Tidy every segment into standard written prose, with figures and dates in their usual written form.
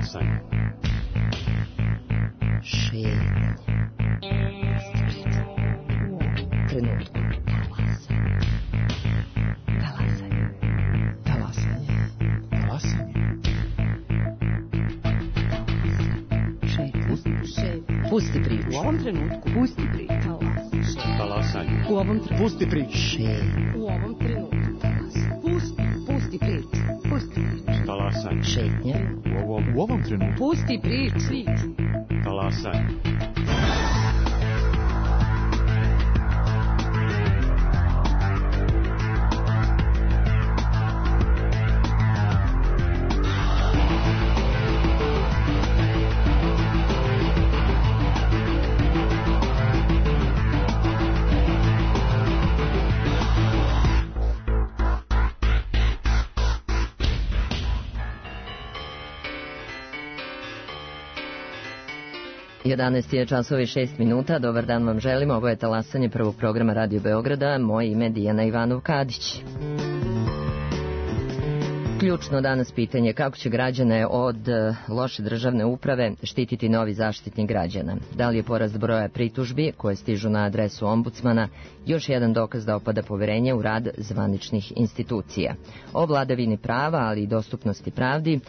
Talasanje. Šetnje. Trenutku. Talasanje. Talasanje. Talasanje. Pusti priču. U ovom trenutku. Pusti priču. Talasanje. U ovom trenutku. Pusti priču. U ovom trenutku. Pusti priču. Pusti priču. Talasanje. Šetnje. U ovom trenutku. Pusti priču. Talasanje. Jedanaest je časovi 6 minuta. Dobar dan vam želim. Ovo je Talasanje prvog programa Radio Beograda. Moje ime je Dijana Ivanov-Kadić. Ključno danas pitanje kako će građane od loše državne uprave štititi novi Zaštitnik građana. Da li je porast broja pritužbi koje stižu na adresu ombudsmana još jedan dokaz da opada poverenje u rad zvaničnih institucija. O vladavini prava, ali i dostupnosti pravdi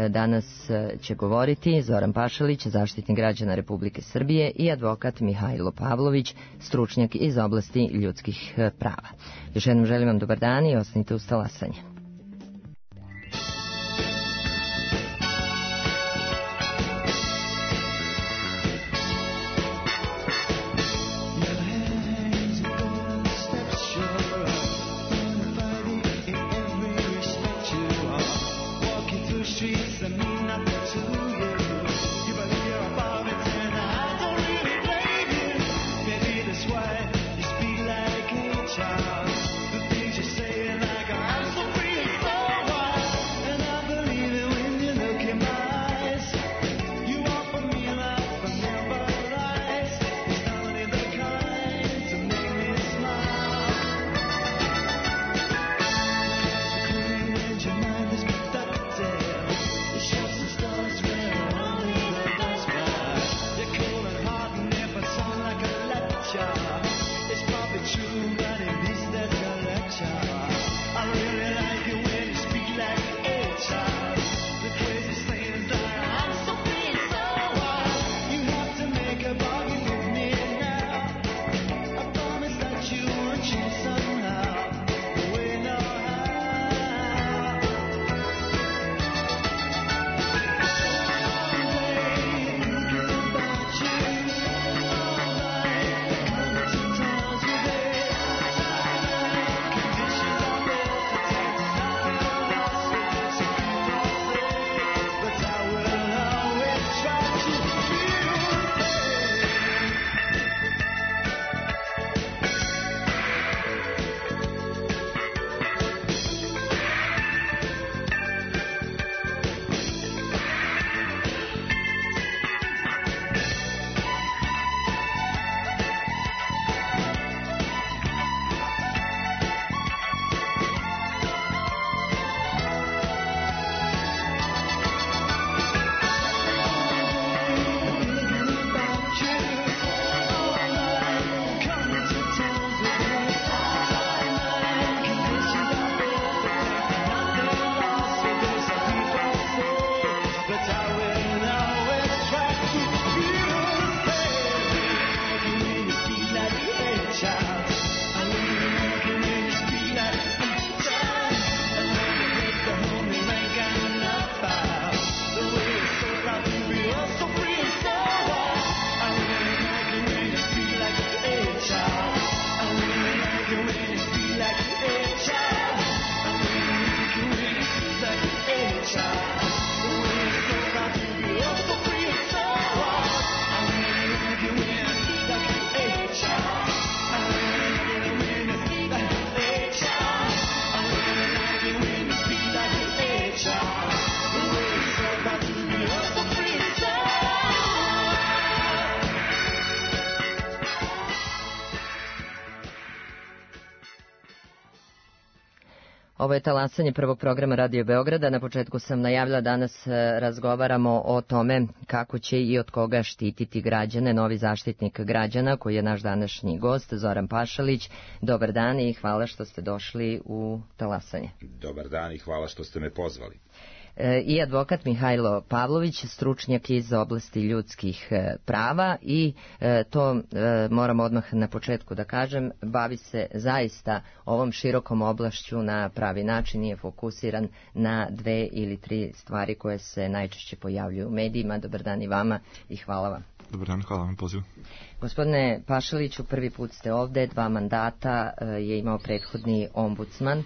danas će govoriti Zoran Pašalić, Zaštitnik građana Republike Srbije, i advokat Mihajlo Pavlović, stručnjak iz oblasti ljudskih prava. Još jednom želim vam dobar dan i ostanite uz Talasanje. It's probably true, but it is that Ovo je talasanje prvog programa Radio Beograda. Na početku sam najavila, danas razgovaramo o tome kako će i od koga štititi građane novi zaštitnik građana, koji je naš današnji gost, Zoran Pašalić. Dobar dan i hvala što ste došli u talasanje. Dobar dan i hvala što ste me pozvali. I advokat Mihajlo Pavlović, stručnjak iz oblasti ljudskih prava, i to moram odmah na početku da kažem, bavi se zaista ovom širokom oblašću na pravi način, nije fokusiran na 2 ili 3 stvari koje se najčešće pojavljuju u medijima. Dobar dan i vama i hvala vam. Dobar dan, hvala vam pozivu. Gospodine Pašaliću, prvi put ste ovde, 2 mandata je imao prethodni ombudsman,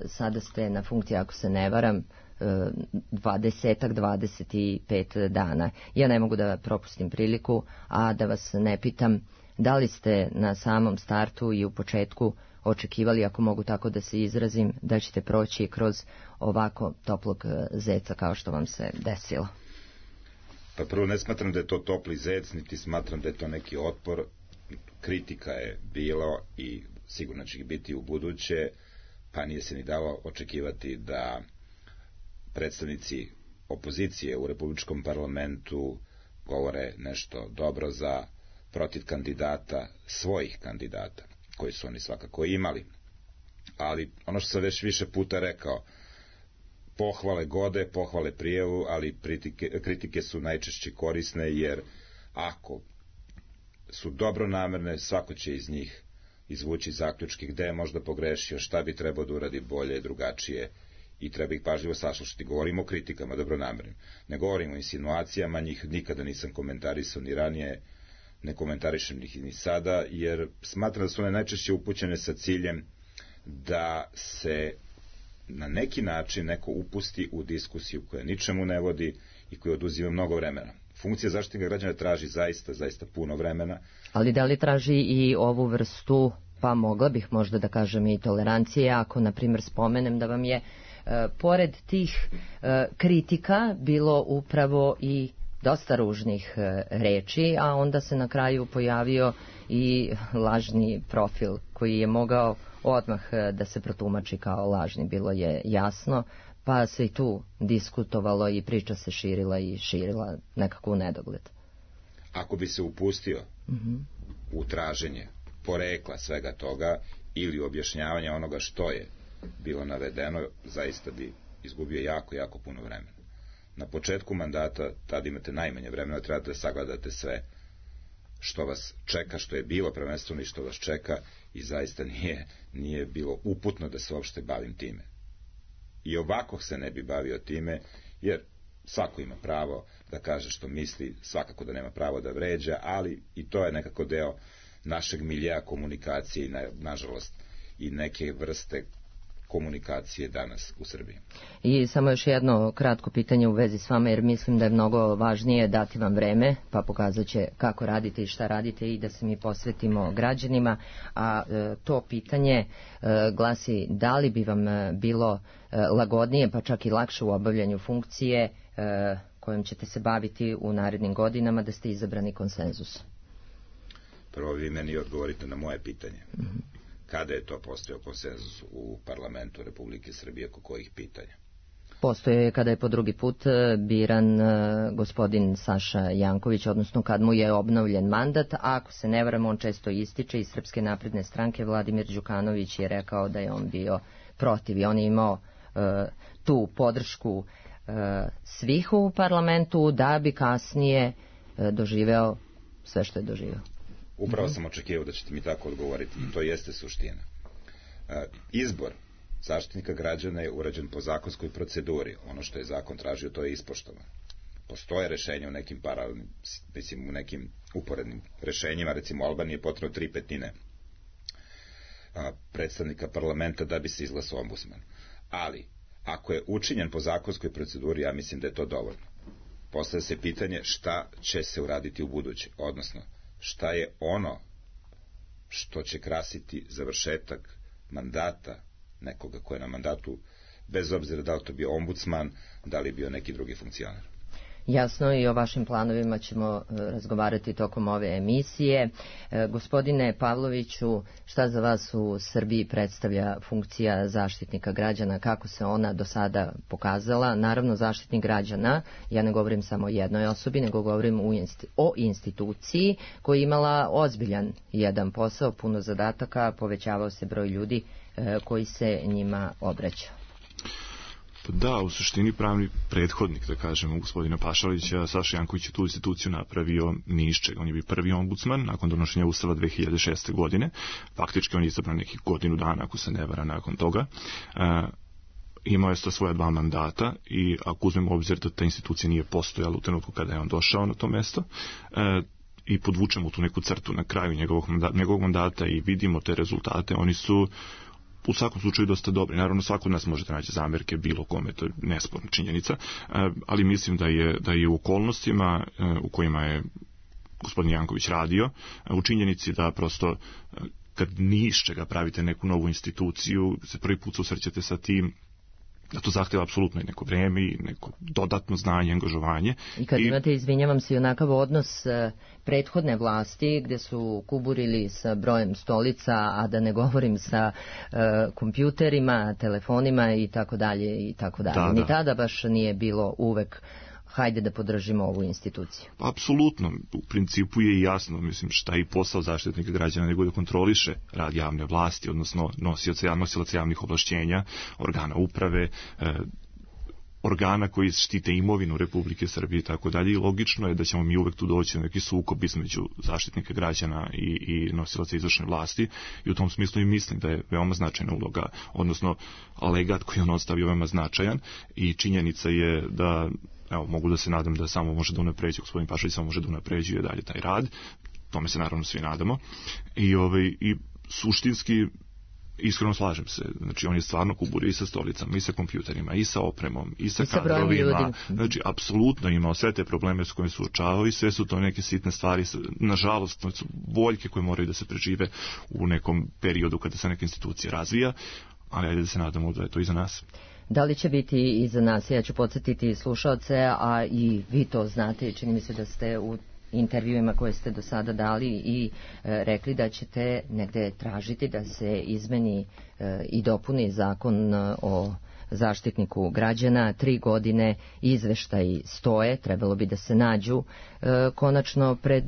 sada ste na funkciji, ako se ne varam, 25 dana. Ja ne mogu da propustim priliku, a da vas ne pitam da li ste na samom startu i u početku očekivali, ako mogu tako da se izrazim, da ćete proći kroz ovako toplog zeca kao što vam se desilo. Pa prvo, ne smatram da je to topli zec, niti smatram da je to neki otpor. Kritika je bilo i sigurno će ih biti u buduće, pa nije se ni dalo očekivati da predstavnici opozicije u Republičkom parlamentu govore nešto dobro za protiv kandidata, svojih kandidata, koji su oni svakako imali. Ali ono što sam već više puta rekao, pohvale gode, pohvale prijevu, ali kritike su najčešće korisne, jer ako su dobronamerne, svako će iz njih izvući zaključke gde je možda pogrešio, šta bi trebao da uradi bolje, drugačije, i treba ih pažljivo saslušati. Govorimo o kritikama dobronamernim, ne govorimo o insinuacijama, njih nikada nisam komentarisao ni ranije, ne komentarišem ih ni sada, jer smatram da su one najčešće upućene sa ciljem da se na neki način neko upusti u diskusiju koja ničemu ne vodi i koja oduzima mnogo vremena. Funkcija zaštitnika građana traži zaista puno vremena. Ali da li traži i ovu vrstu, pa mogla bih možda da kažem i tolerancije, ako na primjer spomenem da vam je pored tih kritika bilo upravo i dosta ružnih reči, a onda se na kraju pojavio i lažni profil koji je mogao odmah da se protumači kao lažni, bilo je jasno, pa se i tu diskutovalo i priča se širila nekako u nedogled. Ako bi se upustio u traženje porekla svega toga ili objašnjavanja onoga što je bilo navedeno, zaista bi izgubio jako puno vremena. Na početku mandata, tada imate najmanje vremena, trebate da sagledate sve što vas čeka, što je bilo prvenstveno i što vas čeka, i zaista nije bilo uputno da se uopšte bavim time. I ovako se ne bi bavio time, jer svako ima pravo da kaže što misli, svakako da nema pravo da vređa, ali i to je nekako deo našeg miljeja komunikacije i nažalost i neke vrste komunikacije danas u Srbiji. I samo još jedno kratko pitanje u vezi s vama, jer mislim da je mnogo važnije dati vam vreme, pa pokazat će kako radite i šta radite i da se mi posvetimo građanima, a to pitanje glasi da li bi vam bilo lagodnije, pa čak i lakše u obavljanju funkcije kojom ćete se baviti u narednim godinama, da ste izabrani konsenzus? Prvo vi meni odgovorite na moje pitanje. Kada je to postojao konsenzus u parlamentu Republike Srbije, oko kojih pitanja? Postoje kada je po drugi put biran gospodin Saša Janković, odnosno kad mu je obnovljen mandat, a ako se ne varam, on često ističe iz Srpske napredne stranke. Vladimir Đukanović je rekao da je on bio protiv i on je imao tu podršku svih u parlamentu da bi kasnije doživeo sve što je doživeo. Upravo sam očekivao da ćete mi tako odgovoriti i to jeste suština. Izbor zaštitnika građana je urađen po zakonskoj proceduri. Ono što je zakon tražio, to je ispoštovano. Postoje rešenja u nekim paralelnim, u nekim uporednim rešenjima, recimo u Albaniji je potrebno 3/5 predstavnika parlamenta da bi se izglasao ombudsman. Ali, ako je učinjen po zakonskoj proceduri, ja mislim da je to dovoljno. Postavlja se pitanje šta će se uraditi u buduće, odnosno šta je ono što će krasiti završetak mandata nekoga ko je na mandatu, bez obzira da li to bio ombudsman, da li bio neki drugi funkcionar. Jasno, i o vašim planovima ćemo razgovarati tokom ove emisije. Gospodine Pavloviću, šta za vas u Srbiji predstavlja funkcija zaštitnika građana, kako se ona do sada pokazala? Naravno, zaštitnik građana, ja ne govorim samo o jednoj osobi, nego govorim o instituciji koja je imala ozbiljan jedan posao, puno zadataka, povećavao se broj ljudi koji se njima obraćao. Da, u suštini pravni prethodnik, da kažemo, gospodina Pašalića, Saša Janković je tu instituciju napravio ni iz čega. On je bio prvi ombudsman nakon donošenja Ustava 2006. godine. Faktički on je izabran nekih godinu dana, ako se ne vara, nakon toga. Imao je svoja 2 mandata i ako uzmemo u obzir da ta institucija nije postojala u trenutku kada je on došao na to mesto, i podvučemo tu neku crtu na kraju njegovog mandata i vidimo te rezultate, oni su u svakom slučaju dosta dobri. Naravno, svako od nas može da nađe zamerke bilo kome, to je nesporna činjenica, ali mislim da je u okolnostima u kojima je gospodin Janković radio, u činjenici da prosto kad ni iz čega pravite neku novu instituciju, se prvi put susrećete sa tim, da to zahteva apsolutno i neko vreme i neko dodatno znanje, angažovanje. I kad imate, izvinjavam se, onakav odnos prethodne vlasti gdje su kuburili sa brojem stolica, a da ne govorim sa kompjuterima, telefonima i tako dalje i tako dalje. Ni tada baš nije bilo uvek hajde da podržimo ovu instituciju. Apsolutno, u principu je jasno, mislim, šta je i posao zaštitnika građana, nego da kontroliše rad javne vlasti, odnosno nosilaca javnih ovlašćenja, organa uprave, organa koji štite imovinu Republike Srbije i tako dalje, i logično je da ćemo mi uvek tu doći na neki sukob između zaštitnika građana i nosilaca izvršne vlasti, i u tom smislu i mislim da je veoma značajna uloga, odnosno alegat koji on ostavio veoma značajan, i činjenica je da, evo, mogu da se nadam da samo može da unapređuje, gospodin Pašalić samo može da unapređuje dalje taj rad, tome se naravno svi nadamo, i suštinski iskreno slažem se, znači on je stvarno kuburio i sa stolicama, i sa kompjuterima, i sa opremom, i sa kadrovima, znači apsolutno imao sve te probleme s kojima se suočavao, i sve su to neke sitne stvari, nažalost to su boljke koje moraju da se prežive u nekom periodu kada se neka institucija razvija, ali ajde da se nadamo da je to iza nas. Da li će biti iza nas? Ja ću podsjetiti slušaoce, a i vi to znate, čini mi se da ste u intervjuima koje ste do sada dali i rekli da ćete negde tražiti da se izmeni i dopuni zakon o zaštitniku građana. 3 godine izveštaji stoje, trebalo bi da se nađu konačno pred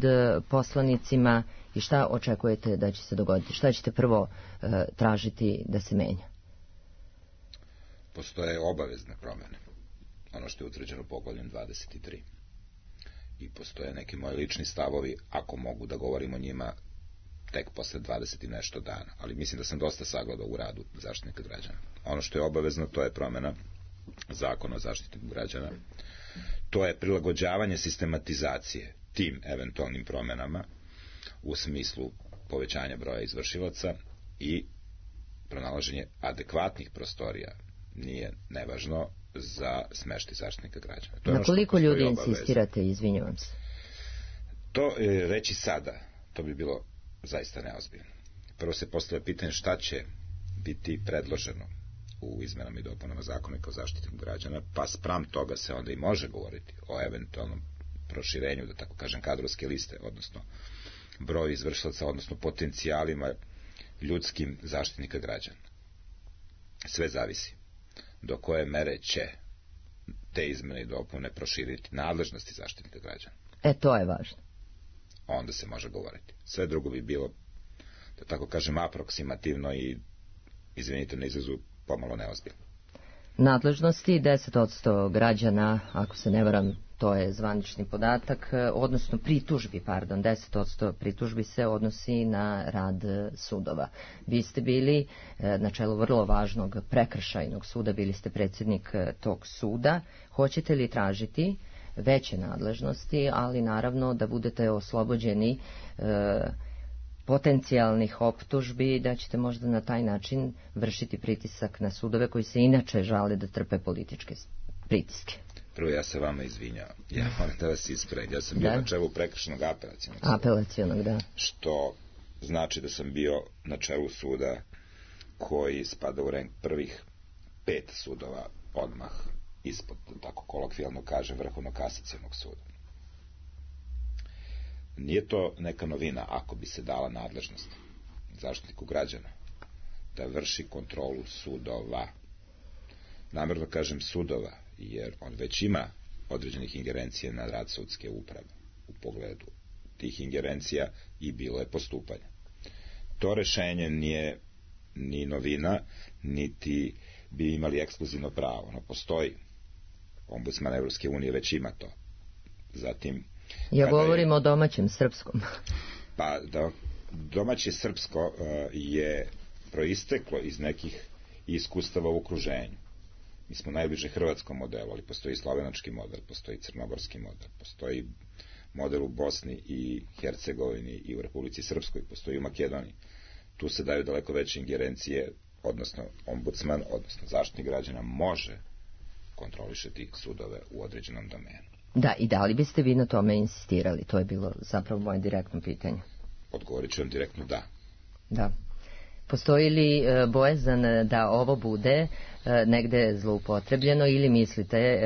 poslanicima. I šta očekujete da će se dogoditi? Šta ćete prvo tražiti da se menja? Postoje obavezne promjene, ono što je utvrđeno poglavljem 23. I postoje neki moji lični stavovi, ako mogu da govorim o njima tek posle 20 i nešto dana, ali mislim da sam dosta sagledao u radu zaštitnika građana. Ono što je obavezno, to je promjena zakona o zaštitniku građana, to je prilagođavanje sistematizacije tim eventualnim promjenama u smislu povećanja broja izvršilaca i pronalaženje adekvatnih prostorija, nije nevažno, za smeštaj zaštitnika građana. Na koliko ljudi insistirate, izvinjavam se? To reći sada, to bi bilo zaista neozbiljno. Prvo se postavlja pitanje šta će biti predloženo u izmenama i dopunama zakona o zaštitniku građana, pa spram toga se onda i može govoriti o eventualnom proširenju, da tako kažem, kadrovske liste, odnosno broju izvršilaca, odnosno potencijalima ljudskim zaštitnika građana. Sve zavisi do koje mere će te izmene i dopune proširiti nadležnosti zaštitnika građana. To je važno. Onda se može govoriti. Sve drugo bi bilo, da tako kažem, aproksimativno i, izvinite na izrazu, pomalo neozbiljno. Nadležnosti 10% građana, ako se ne varam, to je zvanični podatak, odnosno pritužbi, 10% pritužbi se odnosi na rad sudova. Vi ste bili na čelu vrlo važnog prekršajnog suda, bili ste predsjednik tog suda. Hoćete li tražiti veće nadležnosti, ali naravno da budete oslobođeni potencijalnih optužbi, da ćete možda na taj način vršiti pritisak na sudove koji se inače žale da trpe političke pritiske? Prvo, ja se vama izvinjavam. Ja moram da vas ispravim. Ja sam bio na čelu prekršajnog apelacionog, da. Što znači da sam bio na čelu suda koji spada u rang prvih 5 sudova odmah ispod, tako kolokvijalno kaže, Vrhovnog kasacionog suda. Nije to neka novina ako bi se dala nadležnost Zaštitniku građana da vrši kontrolu sudova. Namerno kažem sudova, jer on već ima određenih ingerencija na rad sudske uprave u pogledu tih ingerencija i bilo je postupanje. To rešenje nije ni novina, niti bi imali ekskluzivno pravo. Ono postoji. Ombudsman Evropske unije već ima to. Zatim, ja govorim o domaćem srpskom. Pa domaće srpsko je proisteklo iz nekih iskustava u okruženju. Mi smo najbliže hrvatskom modelu, ali postoji slovenački model, postoji crnogorski model, postoji model u Bosni i Hercegovini i u Republici Srpskoj, postoji u Makedoniji. Tu se daju daleko veće ingerencije, odnosno ombudsman, odnosno zaštitnik građana može kontrolišati sudove u određenom domenu. Da, i da li biste vi na tome insistirali? To je bilo zapravo moje direktno pitanje. Odgovorit ću vam direktno da. Da. Postoji li bojazan da ovo bude negde zloupotrebljeno ili mislite,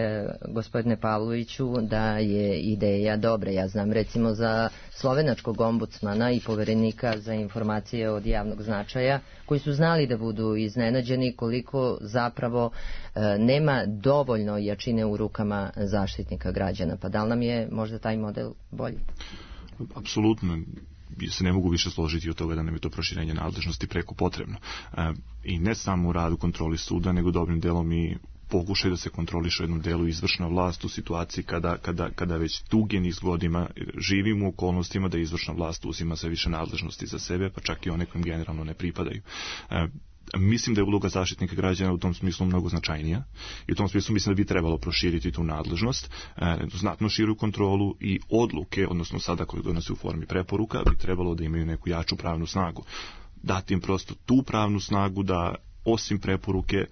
gospodine Pavloviću, da je ideja dobra? Ja znam recimo za slovenačkog ombudsmana i poverenika za informacije od javnog značaja koji su znali da budu iznenađeni koliko zapravo nema dovoljno jačine u rukama zaštitnika građana. Pa da li nam je možda taj model bolji? Apsolutno. Se ne mogu više složiti od toga da nam je to proširenje nadležnosti preko potrebno. I ne samo u radu kontroli suda, nego dobrim delom i pokušaj da se kontroliše u jednom delu izvršna vlast u situaciji kada već dugi niz godina živimo u okolnostima da izvršna vlast uzima sve više nadležnosti za sebe, pa čak i one kojim generalno ne pripadaju. Mislim da je uloga zaštitnika građana u tom smislu mnogo značajnija i u tom smislu mislim da bi trebalo proširiti tu nadležnost, znatno širu kontrolu i odluke, odnosno sada koje donose u formi preporuka, bi trebalo da imaju neku jaču pravnu snagu. Dati im prosto tu pravnu snagu da osim preporuke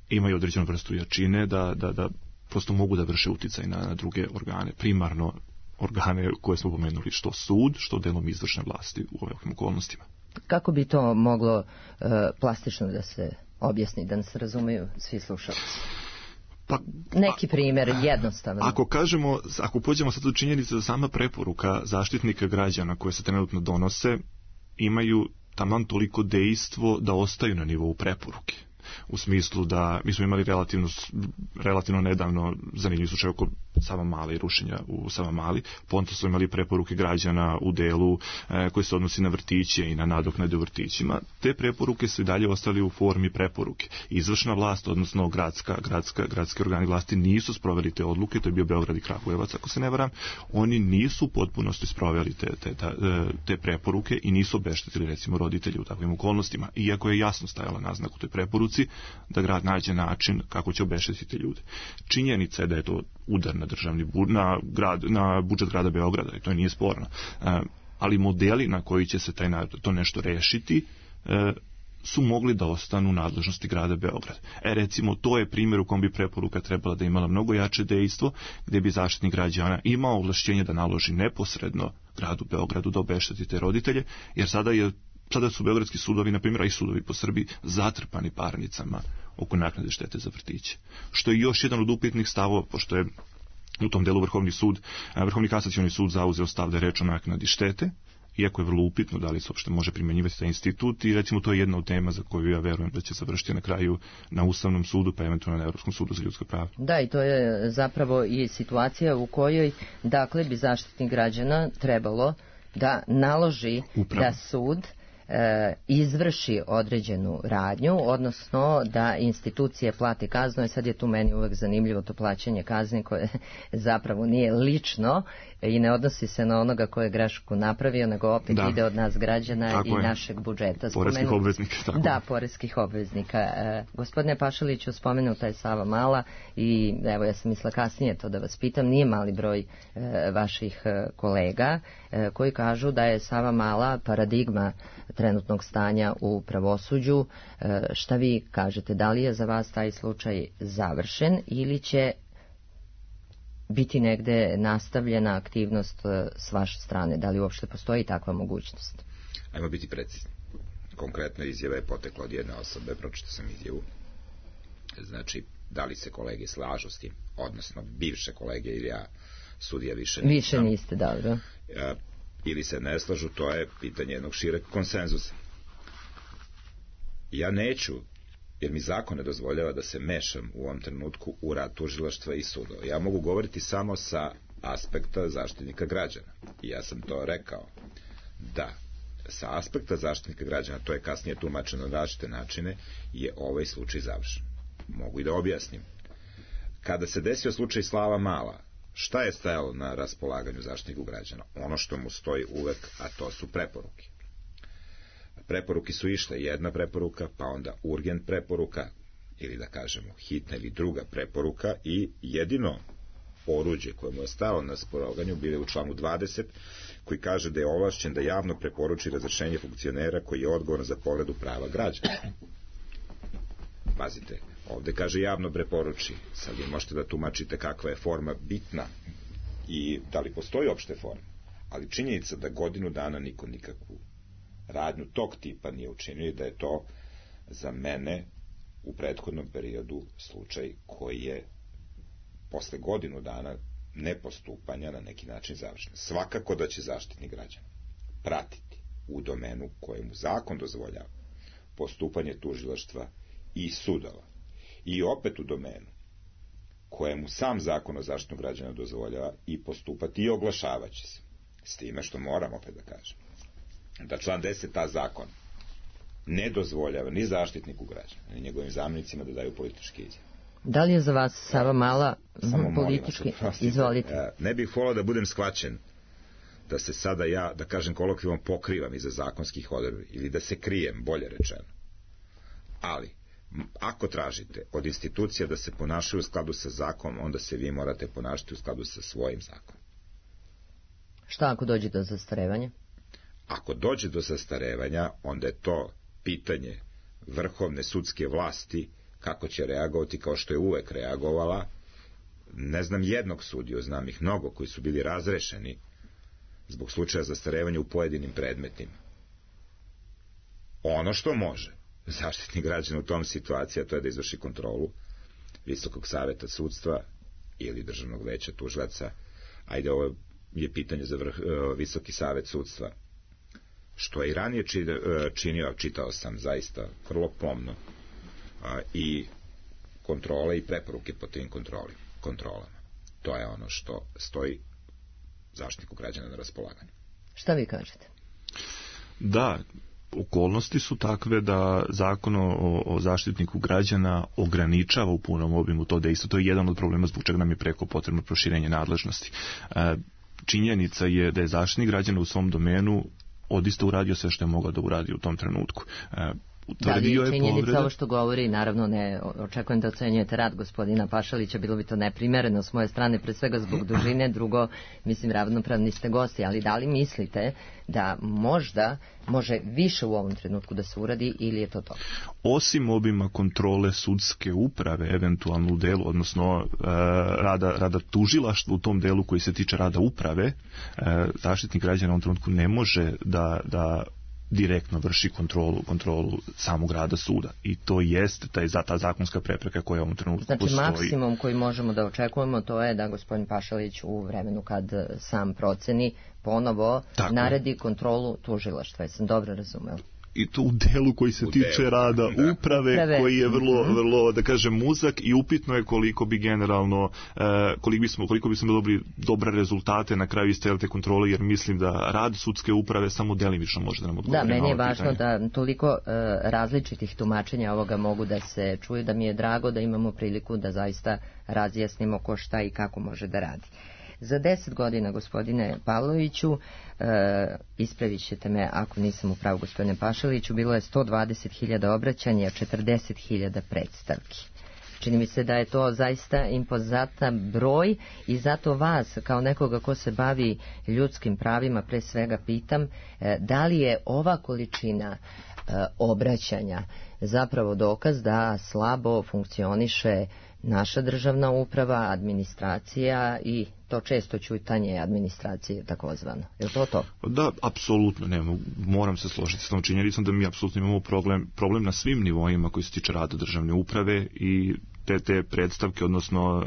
imaju određenu vrstu jačine, da prosto mogu da vrše uticaj na druge organe, primarno organe koje smo pomenuli, što sud, što delom izvršne vlasti u ovakvim okolnostima. Kako bi to moglo plastično da se objasni, da nas razumeju svi slušalci? Neki primjer, jednostavno. Ako pođemo sad u činjenicu da sama preporuka zaštitnika građana koje se trenutno donose imaju taman toliko dejstvo da ostaju na nivou preporuke. U smislu da mi smo imali relativno nedavno zanimljiv slučaj oko Savamale i rušenja u Savamali, potom smo imali preporuke građana u delu koji se odnosi na vrtiće i na nadoknade u vrtićima. Te preporuke su i dalje ostali u formi preporuke. Izvršna vlast, odnosno gradski organi vlasti nisu sproveli te odluke, to je bio Beograd i Kragujevac, ako se ne varam, oni nisu u potpunosti sproveli te preporuke i nisu obeštetili recimo roditelji u takvim okolnostima, iako je jasno stajala naznaka u toj preporuci da grad nađe način kako će obeštetiti ljude. Činjenica je da je to udar na budžet grada Beograda i to nije sporno. Ali modeli na koji će se to nešto rešiti su mogli da ostanu u nadležnosti grada Beograda. Recimo, to je primjer u kom bi preporuka trebala da imala mnogo jače dejstvo, gdje bi zaštitnik građana imao ovlašćenje da naloži neposredno gradu Beogradu da obešteti te roditelje, jer sada su beogradski sudovi, na primjer, a i sudovi po Srbiji, zatrpani parnicama oko naknade štete za vrtiće. Što je još jedan od upitnih stavova, pošto je u tom delu Vrhovni kasacioni sud zauzeo stav da je reč o naknadi štete, iako je vrlo upitno da li se uopšte može primjenjivati taj institut i recimo to je jedna od tema za koju ja verujem da će završiti na kraju na Ustavnom sudu pa eventualno na Evropskom sudu za ljudska prava. Da, i to je zapravo i situacija u kojoj dakle bi zaštitnik građana trebalo da naloži da sud izvrši određenu radnju, odnosno da institucije plate kaznu. I sad je tu meni uvek zanimljivo to plaćanje kazni koje zapravo nije lično i ne odnosi se na onoga ko je grešku napravio, nego opet ide od nas građana tako i našeg budžeta. Poreskih obveznika. Tako. Da, poreskih obveznika. Gospodine Pašaliću, spomenuta je Savamala i evo ja sam mislila kasnije to da vas pitam, nije mali broj vaših kolega koji kažu da je Savamala paradigma trenutnog stanja u pravosuđu. Šta vi kažete, da li je za vas taj slučaj završen ili će biti negde nastavljena aktivnost s vaše strane? Da li uopšte postoji takva mogućnost? Ajmo biti precizni. Konkretno izjava je potekla od jedne osobe, pročitao sam izjavu. Znači, da li se kolege slažu s tim, odnosno bivše kolege ili ja, sudija više niste, dobro. Ili se ne slažu, to je pitanje jednog šireg konsenzusa. Ja neću, jer mi zakon ne dozvoljava da se mešam u ovom trenutku u rad tužilaštva i sudova. Ja mogu govoriti samo sa aspekta zaštitnika građana. I ja sam to rekao, da sa aspekta zaštitnika građana, to je kasnije tumačeno na različite načine, je ovaj slučaj završen. Mogu i da objasnim. Kada se desio slučaj Slava Mala, šta je stajalo na raspolaganju zaštitniku građana? Ono što mu stoji uvek, a to su preporuke. Preporuke su išle, jedna preporuka, pa onda urgent preporuka, ili da kažemo hitna ili druga preporuka, i jedino oruđe koje mu je stalo na raspolaganju bile u članu 20, koji kaže da je ovlašćen da javno preporuči razrešenje funkcionera koji je odgovoran za povredu prava građana. Pazite, ovde kaže javno preporuči. Sad vi možete da tumačite kakva je forma bitna i da li postoji opšte forma. Ali činjenica da godinu dana niko nikakvu radnju tog tipa nije učinio i da je to za mene u prethodnom periodu slučaj koji je posle godinu dana nepostupanja na neki način završen. Svakako da će zaštitnik građana pratiti u domenu kojemu zakon dozvoljava postupanje tužilaštva i sudova. I opet u domenu kojemu sam zakon o zaštitu građana dozvoljava i postupati i oglašavaće se. S time što moram opet da kažem da član 10a zakon ne dozvoljava ni zaštitniku građana, ni njegovim zamjenicima da daju političke izjave. Da li je za vas Sava Mala politički? Izvolite. Ne bih volao da budem shvaćen da se sada ja, da kažem kolokvijalno, pokrivam iza zakonskih odredbi ili da se krijem, bolje rečeno. Ali, ako tražite od institucija da se ponašaju u skladu sa zakonom, onda se vi morate ponašati u skladu sa svojim zakonom. Šta ako dođe do zastarevanja? Ako dođe do zastarevanja, onda je to pitanje vrhovne sudske vlasti kako će reagovati, kao što je uvek reagovala. Ne znam jednog sudiju, znam ih mnogo koji su bili razrešeni zbog slučaja zastarevanja u pojedinim predmetima. Ono što može zaštitnik građana u tom situaciji, to je da izvrši kontrolu Visokog saveta sudstva ili Državnog veća tužilaca. Ajde, ovo je pitanje za Visoki savet sudstva. Što je i ranije činio, čitao sam zaista vrlo pomno, i kontrole i preporuke po tim kontrolama. To je ono što stoji zaštitniku građana na raspolaganju. Šta vi kažete? Da, okolnosti su takve da zakon o zaštitniku građana ograničava u punom obimu to dejstvo. To je jedan od problema zbog čega nam je preko potrebno proširenje nadležnosti. Činjenica je da je zaštitnik građana u svom domenu odista uradio sve što je mogao da uradi u tom trenutku. Da li je činjenica ovo što govori, naravno ne očekujem da ocenjujete rad gospodina Pašalića, bilo bi to neprimereno s moje strane, pre svega zbog dužine, drugo, mislim, ravnopravni ste gosti, ali da li mislite da možda može više u ovom trenutku da se uradi ili je to to? Osim obima kontrole sudske uprave, eventualno u delu, odnosno rada tužilaštva u tom delu koji se tiče rada uprave, zaštitnik građana u ovom trenutku ne može da direktno vrši kontrolu samog rada suda. I to jeste ta zakonska prepreka koja u ovom trenutku postoji. Znači maksimum koji možemo da očekujemo to je da gospodin Pašalić u vremenu kad sam proceni ponovo naredi kontrolu tužilaštva. Jesam dobro razumeo? I to u delu koji se tiče rada uprave, koji je vrlo, da kažem, uzak i upitno je koliko bi generalno, koliko bismo dobili dobre rezultate na kraju iz te kontrole, jer mislim da rad sudske uprave samo delimično može da nam odgovori. Da, meni je važno da toliko različitih tumačenja ovoga mogu da se čuju, da mi je drago da imamo priliku da zaista razjasnimo ko šta i kako može da radi. Za 10 godina, gospodine Pavloviću, ispravit ćete me ako nisam u pravu, gospodine Pašaliću, bilo je 120.000 obraćanja, 40.000 predstavki. Čini mi se da je to zaista impozantan broj i zato vas, kao nekoga ko se bavi ljudskim pravima, pre svega pitam, da li je ova količina obraćanja zapravo dokaz da slabo funkcioniše naša državna uprava, administracija i to često ćutanje administracije takozvano. Je li to to? Da, apsolutno. Moram se složiti s tom činjenicom da mi apsolutno imamo problem na svim nivoima koji se tiče rada državne uprave i te predstavke, odnosno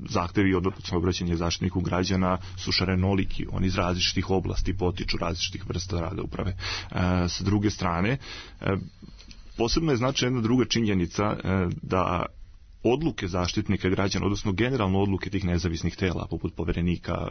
zahtevi odnosno obraćanje zaštitniku građana su šarenoliki, oni iz različitih oblasti potiču različitih vrsta rada uprave. S druge strane, posebno je značajna jedna druga činjenica da odluke zaštitnika građana, odnosno generalno odluke tih nezavisnih tela, poput poverenika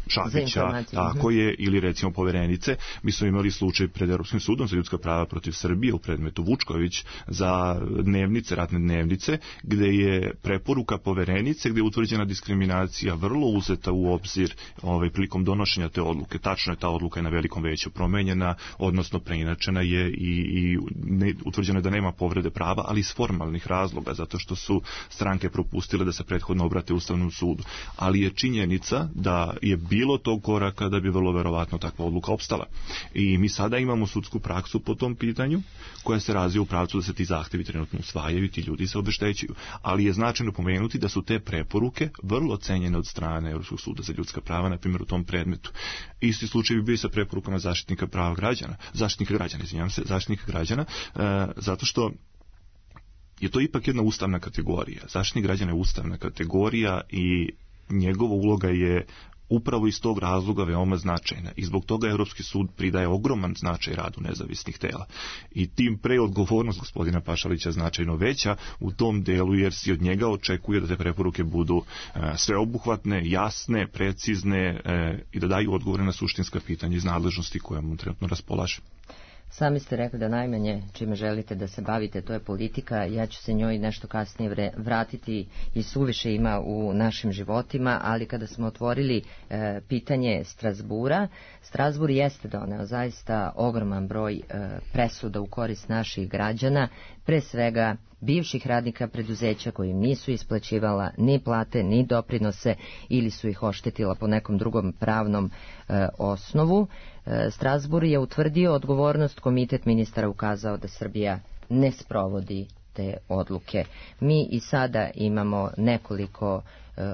Šabića, tako je, ili recimo poverenice. Mi smo imali slučaj pred Europskim sudom za ljudska prava protiv Srbije u predmetu Vučković za dnevnice, ratne dnevnice, gde je preporuka poverenice, gde je utvrđena diskriminacija vrlo uzeta u obzir prilikom donošenja te odluke. Tačno je, ta odluka je na velikom veću promenjena, odnosno preinačena je i utvrđeno je da nema povrede prava, ali iz formalnih razloga, zato što su stranke propustile da se prethodno obrate Ustavnom sudu. Ali je činjenica da je bilo tog koraka da bi vrlo verovatno takva odluka opstala. I mi sada imamo sudsku praksu po tom pitanju, koja se razvija u pravcu da se ti zahtevi trenutno usvajaju i ti ljudi se obeštećuju. Ali je značajno pomenuti da su te preporuke vrlo cenjene od strane Europskog suda za ljudska prava, na primjer u tom predmetu. Isti slučaj bi bio sa preporukama zaštitnika građana, zato što je to ipak jedna ustavna kategorija. Zaštitnik građana je ustavna kategorija i njegova uloga je upravo iz tog razloga veoma značajna. I zbog toga Europski sud pridaje ogroman značaj radu nezavisnih tela. I tim pre odgovornost gospodina Pašalića značajno veća u tom delu, jer se od njega očekuje da te preporuke budu sveobuhvatne, jasne, precizne i da daju odgovore na suštinska pitanja iz nadležnosti koje mu trenutno raspolaže. Sami ste rekli da najmanje čime želite da se bavite, to je politika. Ja ću se njoj nešto kasnije vratiti i suviše ima u našim životima, ali kada smo otvorili pitanje Strazbura, Strazbur jeste doneo zaista ogroman broj presuda u korist naših građana, pre svega bivših radnika preduzeća koji nisu isplaćivala ni plate, ni doprinose ili su ih oštetila po nekom drugom pravnom osnovu. Strazbur je utvrdio odgovornost, komitet ministara ukazao da Srbija ne sprovodi te odluke. Mi i sada imamo nekoliko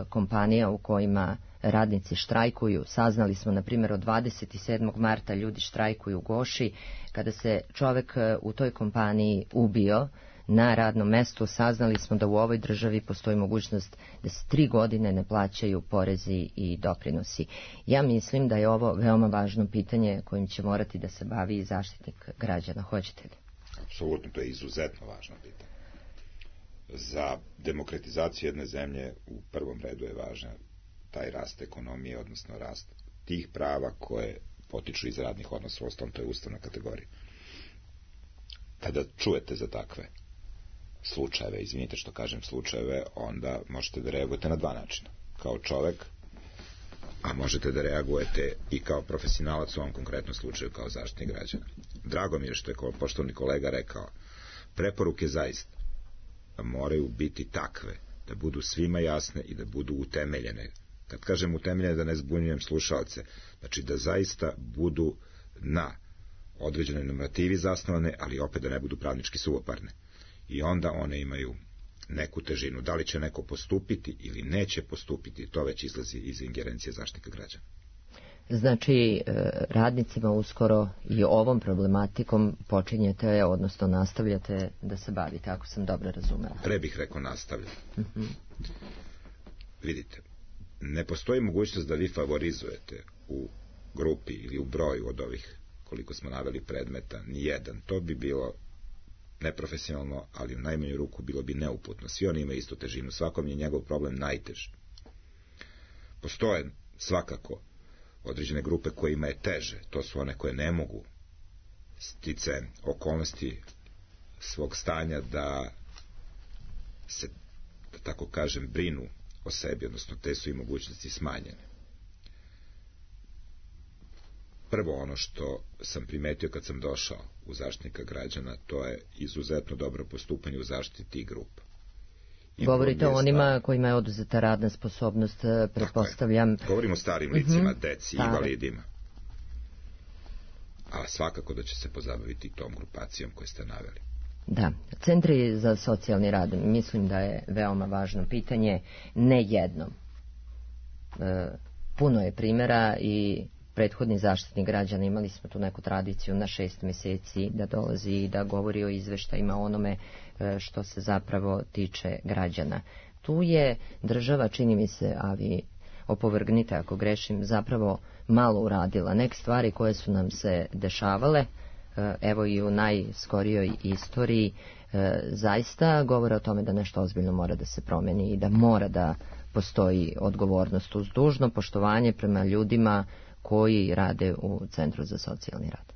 kompanija u kojima radnici štrajkuju. Saznali smo, na primjer, od 27. marta ljudi štrajkuju u Goši. Kada se čovek u toj kompaniji ubio na radnom mestu, saznali smo da u ovoj državi postoji mogućnost da se 3 godine ne plaćaju porezi i doprinosi. Ja mislim da je ovo veoma važno pitanje kojim će morati da se bavi i zaštitnik građana. Hoćete li? Apsolutno, to je izuzetno važno pitanje. Za demokratizaciju jedne zemlje u prvom redu je važan taj rast ekonomije, odnosno rast tih prava koje potiču iz radnih odnosa, ostalom to je ustavna kategorija. Kada čujete za takve slučajeve, izvinite što kažem slučajeve, onda možete da reagujete na 2 načina. Kao čovek, a možete da reagujete i kao profesionalac u ovom konkretnom slučaju kao zaštitnik građana. Drago mi je što je poštovani kolega rekao, preporuke zaista moraju biti takve da budu svima jasne i da budu utemeljene. Kad kažem utemeljene, da ne zbunjujem slušalce, znači da zaista budu na određenoj normativi zasnovane, ali opet da ne budu pravnički suvoparne. I onda one imaju neku težinu. Da li će neko postupiti ili neće postupiti, to već izlazi iz ingerencije zaštitnika građana. Znači, radnicima uskoro i ovom problematikom počinjete, odnosno nastavljate da se bavite, ako sam dobro razumela. Pre bih rekao nastavljam. Vidite, ne postoji mogućnost da vi favorizujete u grupi ili u broju od ovih koliko smo naveli predmeta, ni jedan. To bi bilo neprofesionalno, ali u najmanju ruku bilo bi neuputno. Svi oni imaju istu težinu, svakom je njegov problem najteži. Postoje svakako određene grupe kojima je teže, to su one koje ne mogu sticajem okolnosti svog stanja da se, da tako kažem, brinu o sebi, odnosno te su i mogućnosti smanjene. Prvo ono što sam primetio kad sam došao u zaštitnika građana, to je izuzetno dobro postupanje u zaštiti tih grupa. Govorite o onima kojima je oduzeta radna sposobnost, pretpostavljam. Govorimo o starim licima, deci, invalidima. A svakako da će se pozabaviti tom grupacijom koju ste naveli. Da, centri za socijalni rad, mislim da je veoma važno pitanje, ne jednom. Puno je primjera i prethodni zaštitnik građana, imali smo tu neku tradiciju na 6 mjeseci da dolazi i da govori o izveštajima onome što se zapravo tiče građana. Tu je država, čini mi se, a vi opovrgnite ako grešim, zapravo malo uradila. Neke stvari koje su nam se dešavale, evo i u najskorijoj istoriji, zaista govore o tome da nešto ozbiljno mora da se promeni i da mora da postoji odgovornost uz dužno poštovanje prema ljudima koji rade u Centru za socijalni rad.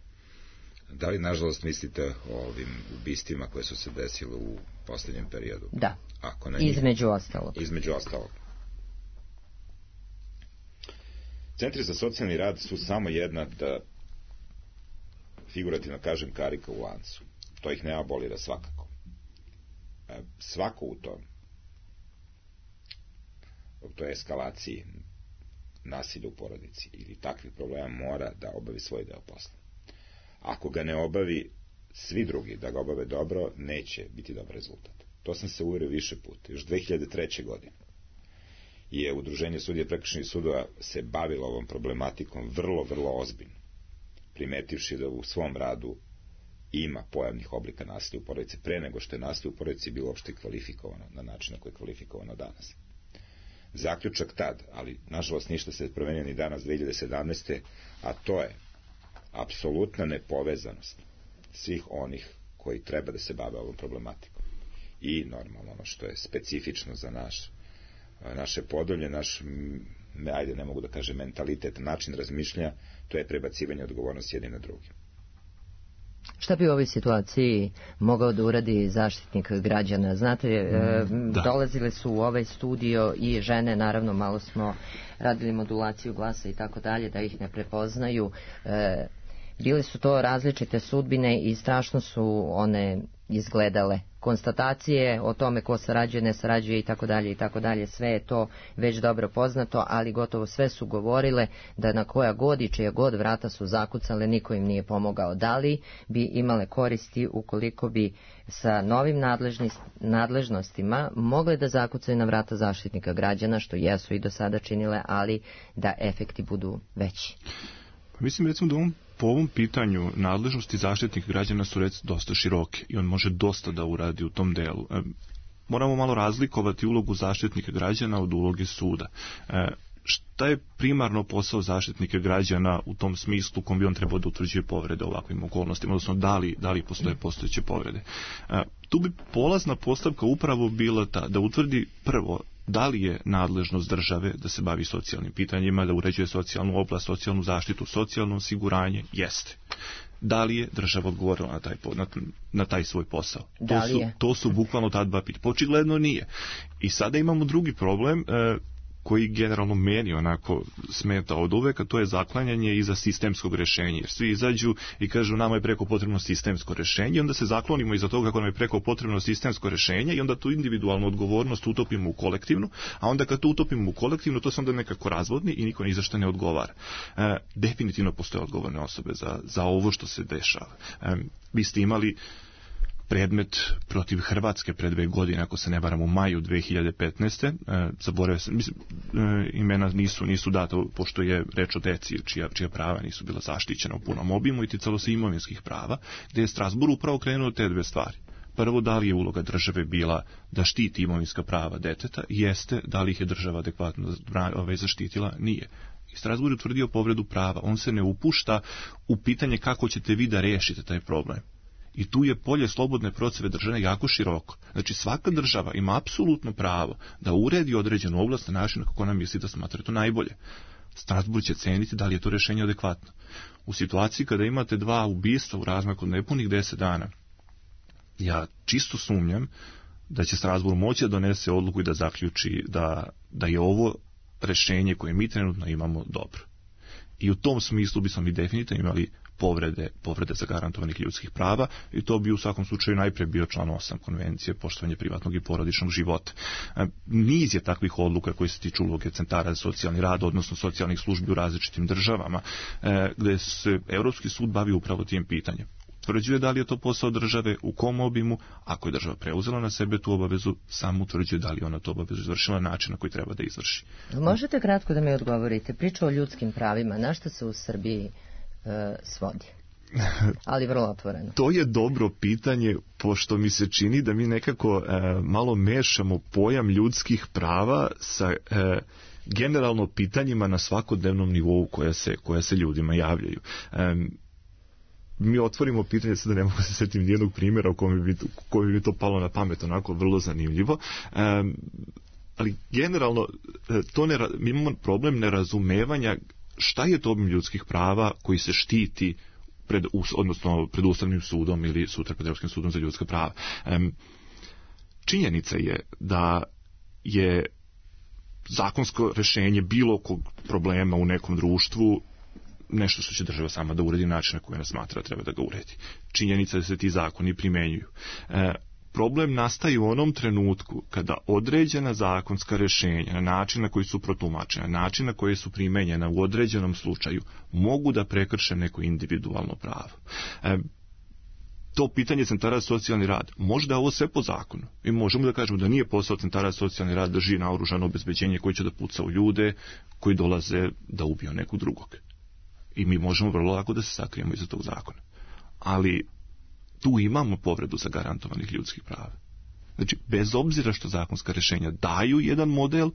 Da li, nažalost, mislite o ovim ubistvima koje su se desile u posljednjem periodu? Da, ako ne između ostalog. Između ostalog. Centri za socijalni rad su samo jedna, da figurativno kažem, karika u lancu. To ih ne abolira svakako. Svako u toj eskalaciji nasilja u porodici ili takvih problema mora da obavi svoj deo posla. Ako ga ne obavi svi drugi da ga obave dobro, neće biti dobar rezultat. To sam se uverio više puta. Još 2003. godine je Udruženje sudija prekršajnih sudova se bavilo ovom problematikom vrlo, vrlo ozbiljno, primetivši da u svom radu ima pojavnih oblika nasilja u porodici pre nego što je nasilje u porodici bilo uopšte kvalifikovano na način na koji je kvalifikovano danas. Zaključak tad, ali nažalost ništa se promenio ni danas 2017. a to je apsolutna nepovezanost svih onih koji treba da se bave ovom problematikom. I normalno ono što je specifično za naše Podolje, ajde ne mogu da kažem mentalitet, način razmišljanja, to je prebacivanje odgovornosti jedni na drugi. Šta bi u ovoj situaciji mogao da uradi zaštitnik građana? Znate, dolazile su u ovaj studio i žene, naravno malo smo radili modulaciju glasa i tako dalje, da ih ne prepoznaju. Bile su to različite sudbine i strašno su one izgledale. Konstatacije o tome ko sarađuje, ne sarađuje i tako dalje, sve je to već dobro poznato, ali gotovo sve su govorile da na koja god i čija god vrata su zakucale, niko im nije pomogao. Da li bi imale koristi ukoliko bi sa novim nadležnostima mogle da zakucaju na vrata zaštitnika građana, što jesu i do sada činile, ali da efekti budu veći? Mislim, recimo da po ovom pitanju nadležnosti zaštitnika građana su dosta široke i on može dosta da uradi u tom delu. Moramo malo razlikovati ulogu zaštitnika građana od uloge suda. Šta je primarno posao zaštitnika građana u tom smislu kom bi on trebao da utvrđuje povrede ovakvim okolnostima, odnosno da li postoje postojeće povrede? Tu bi polazna postavka upravo bila ta da utvrdi prvo da li je nadležnost države da se bavi socijalnim pitanjima, da uređuje socijalnu oblast, socijalnu zaštitu, socijalno osiguranje? Jeste. Da li je država odgovorila na taj svoj posao? To su bukvalno ta dva pitanja. Očigledno nije. I sada imamo drugi problem koji generalno meni onako smeta od uvek, a to je zaklanjanje iza sistemskog rješenja. Jer svi izađu i kažu nama je preko potrebno sistemsko rješenje, onda se zaklonimo iza toga kako nam je preko potrebno sistemsko rješenje i onda tu individualnu odgovornost utopimo u kolektivnu, a onda kad to utopimo u kolektivnu, to se onda nekako razvodni i niko ni za što ne odgovara. Definitivno postoje odgovorne osobe za ovo što se dešava. Vi ste imali predmet protiv Hrvatske pre 2 godine, ako se ne varam, u maju 2015. Zaboravio sam, imena nisu data, pošto je reč o deci čija prava nisu bila zaštićena u punom obimu i ticalo se imovinskih prava, gde je Strasbourg upravo krenuo te 2 stvari. Prvo, da li je uloga države bila da štiti imovinska prava deteta? Jeste. Da li ih je država adekvatno zaštitila? Nije. I Strasbourg je utvrdio povredu prava. On se ne upušta u pitanje kako ćete vi da rešite taj problem. I tu je polje slobodne procjene države jako široko. Znači svaka država ima apsolutno pravo da uredi određenu oblast na način kako ona misli da smatra to najbolje. Strasbourg će ceniti da li je to rješenje adekvatno. U situaciji kada imate 2 ubistva u razmaku od nepunih 10 dana, ja čisto sumnjam da će Strasbourg moći da donese odluku i da zaključi da je ovo rješenje koje mi trenutno imamo dobro. I u tom smislu bismo mi definitivno imali povrede zagarantovanih ljudskih prava i to bi u svakom slučaju najprije bio član 8 konvencije poštovanje privatnog i porodičnog života. Niz je takvih odluka koji se tiču uloge centara za socijalni rad, odnosno socijalnih službi u različitim državama, gde se Europski sud bavi upravo tim pitanjem. utvrđuje da li je to posao države, u kom obimu, ako je država preuzela na sebe tu obavezu, sam utvrđuje da li ona to obavezu izvršila na način na koji treba da izvrši. Možete kratko da mi odgovorite, priča o ljudskim pravima, na što se u Srbiji svodi? Ali vrlo otvoreno. To je dobro pitanje, pošto mi se čini da mi nekako malo mešamo pojam ljudskih prava sa generalno pitanjima na svakodnevnom nivou koja se ljudima javljaju. Mi otvorimo pitanje, sada ne mogu se sjetiti nijednog primjera u kojem bi to palo na pamet, onako vrlo zanimljivo, ali generalno mi imamo problem nerazumevanja šta je to obim ljudskih prava koji se štiti pred Ustavnim sudom ili sutra pred Europskim sudom za ljudska prava. Činjenica je da je zakonsko rješenje bilo kog problema u nekom društvu nešto što će država sama da uredi na način na koji ona smatra treba da ga uredi. Činjenica je da se ti zakoni primenjuju. Problem nastaje u onom trenutku kada određena zakonska rješenja na način na koji su protumačena, na način na koji su primenjena u određenom slučaju mogu da prekrše neko individualno pravo. To pitanje centara za socijalni rad, možda je ovo sve po zakonu. Mi možemo da kažemo da nije posao centara za socijalni rad da drži naoružano obezbeđenje koji će da puca u ljude koji dolaze da ubiju nekog drugog. I mi možemo vrlo lako da se sakrijemo iza tog zakona. Ali tu imamo povredu zagarantovanih ljudskih prava. Znači, bez obzira što zakonska rješenja daju jedan model,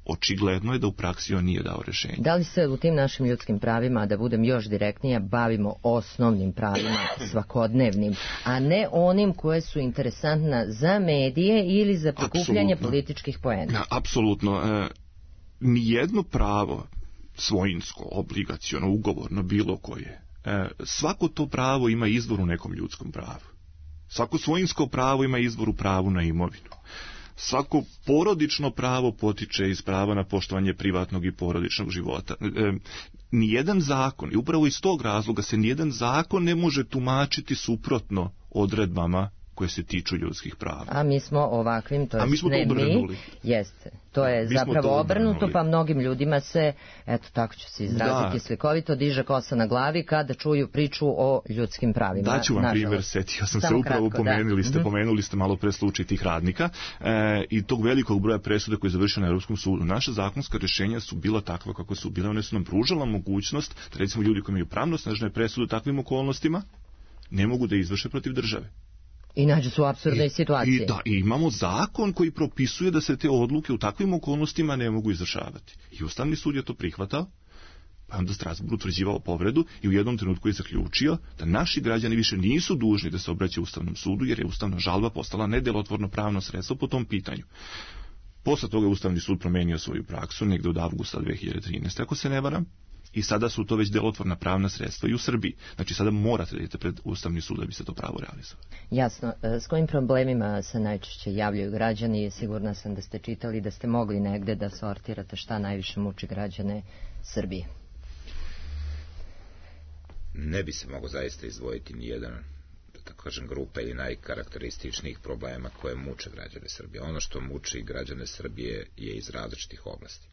očigledno je da u praksi on nije dao rješenje. Da li se u tim našim ljudskim pravima, da budem još direktnija, bavimo osnovnim pravima, svakodnevnim, a ne onim koje su interesantna za medije ili za prikupljanje političkih poena? Apsolutno. Nijedno pravo, svojinsko, obligaciono, ugovorno, bilo koje, svako to pravo ima izvor u nekom ljudskom pravu. Svako svojinsko pravo ima izvor u pravu na imovinu. Svako porodično pravo potiče iz prava na poštovanje privatnog i porodičnog života. Nijedan zakon, i upravo iz tog razloga se nijedan zakon ne može tumačiti suprotno odredbama koje se tiču ljudskih prava. A mi smo ovakvim, to mi smo to obrnuli. Jeste. To je zapravo obrnuto, pa mnogim ljudima se, eto tako ću se izraziti slikovito, diže kosa na glavi kada čuju priču o ljudskim pravima. Daću vam primjer, setio sam se upravo, pomenuli ste malo pre slučaj tih radnika i tog velikog broja presuda koji je završio na Europskom sudu. Naša zakonska rješenja su bila takva kako su bile, one su nam pružala mogućnost da recimo ljudi koji imaju pravnosnažne presude u takvim okolnostima ne mogu da izvrše protiv države. I nađu su u apsurdnoj situaciji. I imamo zakon koji propisuje da se te odluke u takvim okolnostima ne mogu izvršavati. I Ustavni sud je to prihvatao, pa onda Strasbourg utvrđivao povredu i u jednom trenutku je zaključio da naši građani više nisu dužni da se obraćaju Ustavnom sudu, jer je ustavna žalba postala nedjelotvorno pravno sredstvo po tom pitanju. Posle toga je Ustavni sud promenio svoju praksu negde od avgusta 2013. ako se ne varam. I sada su to već djelotvorna pravna sredstva i u Srbiji. Znači sada morate da idete pred Ustavni sud da bi se to pravo realizovalo. Jasno. S kojim problemima se najčešće javljaju građani? Sigurna sam da ste čitali, da ste mogli negde da sortirate šta najviše muči građane Srbije. Ne bi se mogo zaista izdvojiti nijedan, da tako kažem, grupa ili najkarakterističnijih problema koje muče građane Srbije. Ono što muči građane Srbije je iz različitih oblasti.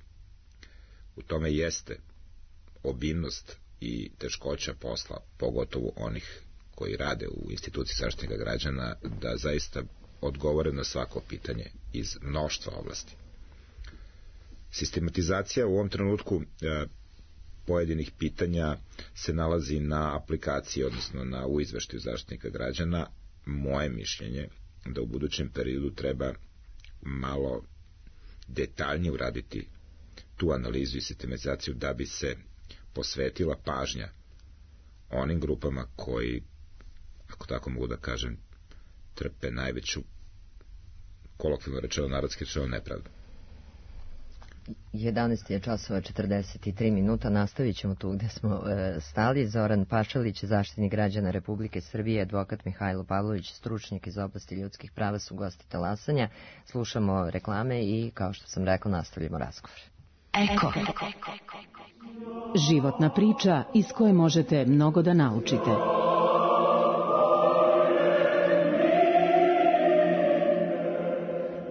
U tome jeste obimnost i teškoća posla, pogotovo onih koji rade u instituciji zaštitnika građana, da zaista odgovore na svako pitanje iz mnoštva oblasti. Sistematizacija u ovom trenutku pojedinih pitanja se nalazi na aplikaciji, odnosno u izveštaju zaštitnika građana. Moje mišljenje da u budućem periodu treba malo detaljnije uraditi tu analizu i sistematizaciju da bi se posvetila pažnja onim grupama koji, ako tako mogu da kažem, trpe najveću, kolokvijalno rečeno, narodski rečeno, nepravdu. 11 je časova 43 minuta, nastavit ćemo tu gde smo stali. Zoran Pašalić, zaštitnik građana Republike Srbije, advokat Mihajlo Pavlović, stručnjak iz oblasti ljudskih prava, su gosti Talasanja. Slušamo reklame i, kao što sam rekla, nastavljamo razgovor. Eko. Životna priča iz koje možete mnogo da naučite.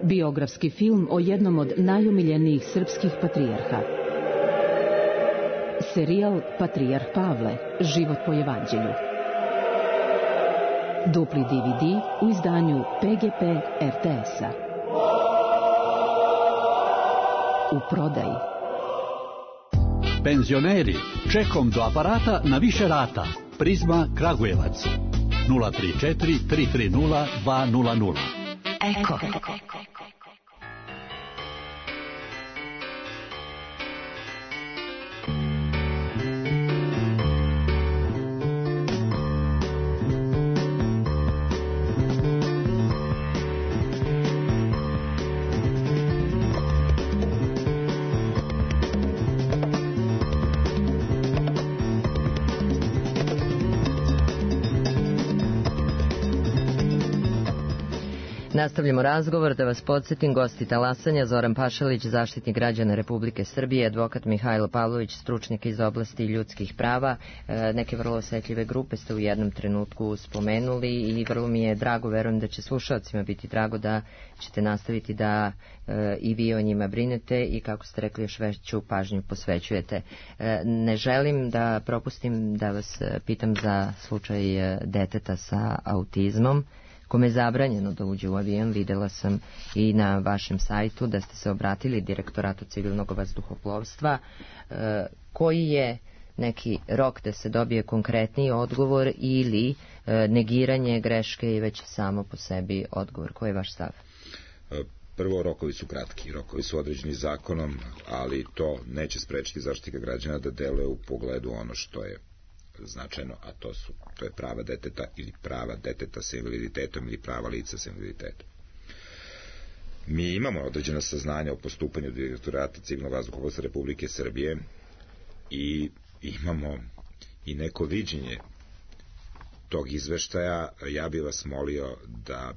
Biografski film o jednom od najomiljenijih srpskih patrijarha. Serijal Patrijarh Pavle, život po evanđelju. Dupli DVD u izdanju PGP RTS-a. U prodaji. Penzioneri, čekom do aparata na više rata. Prizma Kragujevac. 034 330 200. Eko. Nastavljamo razgovor, da vas podsjetim, gosti talasanja Zoran Pašalić, zaštitnik građana Republike Srbije, advokat Mihajlo Pavlović, stručnjak iz oblasti ljudskih prava. Neke vrlo osetljive grupe ste u jednom trenutku spomenuli i vrlo mi je drago, verujem da će slušalcima biti drago da ćete nastaviti da i vi o njima brinete i, kako ste rekli, još veću pažnju posvećujete. Ne želim da propustim da vas pitam za slučaj deteta sa autizmom, kome je zabranjeno da uđe u avion. Videla sam i na vašem sajtu da ste se obratili Direktoratu civilnog vazduhoplovstva. Koji je neki rok da se dobije konkretniji odgovor ili negiranje greške i već samo po sebi odgovor? Koji je vaš stav? Prvo, rokovi su kratki, rokovi su određeni zakonom, ali to neće sprečiti Zaštitnika građana da deluje u pogledu ono što je značajno, a to je prava deteta ili prava deteta sa invaliditetom ili prava lica sa invaliditetom. Mi imamo određena saznanja o postupanju Direktorata civilnog vazduhoplovstva Republike Srbije i imamo i neko viđenje tog izveštaja. Ja bih vas molio da,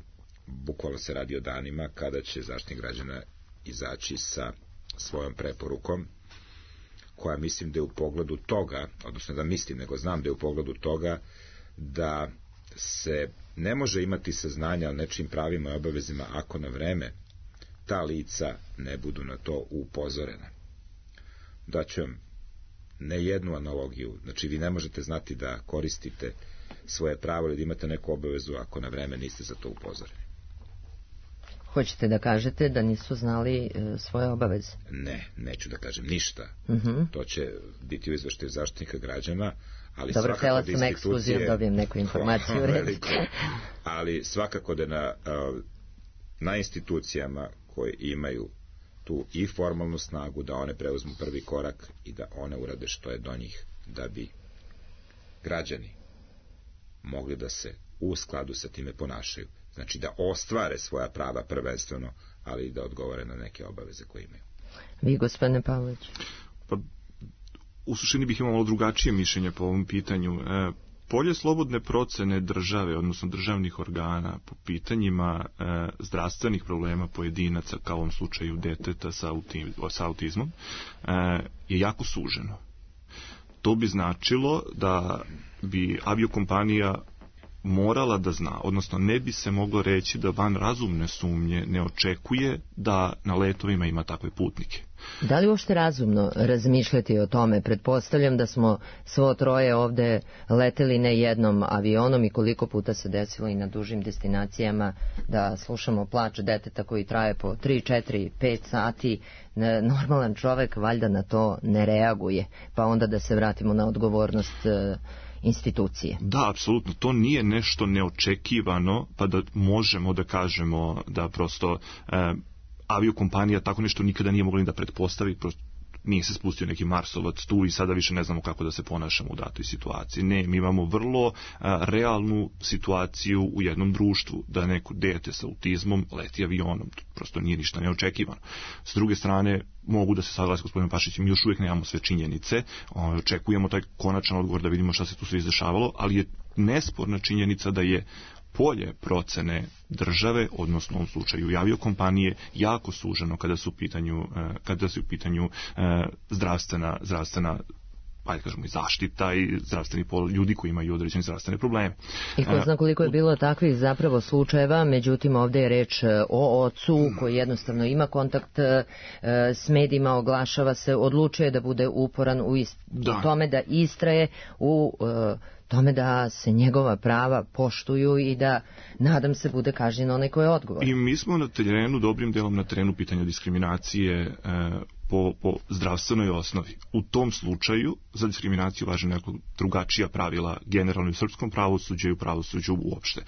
bukvalno se radi o danima kada će Zaštitnik građana izaći sa svojom preporukom, koja mislim da je u pogledu toga, odnosno da mislim, nego znam da je u pogledu toga da se ne može imati saznanja o nečim pravima i obavezima ako na vreme ta lica ne budu na to upozorena. Daću vam ne jednu analogiju, znači vi ne možete znati da koristite svoje pravo ili da imate neku obavezu ako na vreme niste za to upozoreni. Hoćete da kažete da nisu znali svoje obaveze? Ne, neću da kažem ništa. To će biti u izveštaju Zaštitnika građana, ali dobro, htjela sam ekskluzivno dobijem neku informaciju. Ali svakako da na institucijama koje imaju tu i formalnu snagu da one preuzmu prvi korak i da one urade što je do njih, da bi građani mogli da se u skladu sa time ponašaju. Znači da ostvare svoja prava prvenstveno, ali i da odgovore na neke obaveze koje imaju. Vi, gospodine Pavlović? Pa, u suštini bih imao malo drugačije mišljenje po ovom pitanju. Polje slobodne procene države, odnosno državnih organa po pitanjima zdravstvenih problema pojedinaca, kao u ovom slučaju deteta sa autizmom, je jako suženo. To bi značilo da bi aviokompanija morala da zna, odnosno ne bi se moglo reći da van razumne sumnje ne očekuje da na letovima ima takve putnike. Da li uopšte razumno razmišljati o tome? Pretpostavljam da smo svo troje ovde leteli ne jednom avionom i koliko puta se desilo i na dužim destinacijama da slušamo plač deteta koji traje po 3, 4, 5 sati. Normalan čovek valjda na to ne reaguje. Pa onda da se vratimo na odgovornost institucije. Da, apsolutno, to nije nešto neočekivano, pa da možemo da kažemo da prosto aviokompanija tako nešto nikada nije mogla ni da pretpostavi, prosto nije se spustio neki Marsovac tu i sada više ne znamo kako da se ponašamo u datoj situaciji. Ne, mi imamo vrlo realnu situaciju u jednom društvu, da neko dete sa autizmom leti avionom, to prosto nije ništa neočekivano. S druge strane, mogu da se saglasi gospodinom Pašićem, još uvijek nemamo sve činjenice, očekujemo taj konačan odgovor da vidimo šta se tu sve izdešavalo, ali je nesporna činjenica da je polje procene države, odnosno u ovom slučaju i aviokompanije, jako suženo kada su u pitanju zdravstvena ajde kažemo i zaštita i zdravstveni ljudi koji imaju određene zdravstvene probleme. I ko zna koliko je bilo takvih zapravo slučajeva, međutim ovdje je reč o ocu koji jednostavno ima kontakt s medijima, oglašava se, odlučuje da bude uporan u tome da istraje u tome da se njegova prava poštuju i da, nadam se, bude kažnjen onaj ko je odgovoran. I mi smo na terenu, dobrim delom na terenu pitanja diskriminacije po zdravstvenoj osnovi. U tom slučaju za diskriminaciju važe nekako drugačija pravila generalno u srpskom pravosuđu i u pravosuđu uopšte.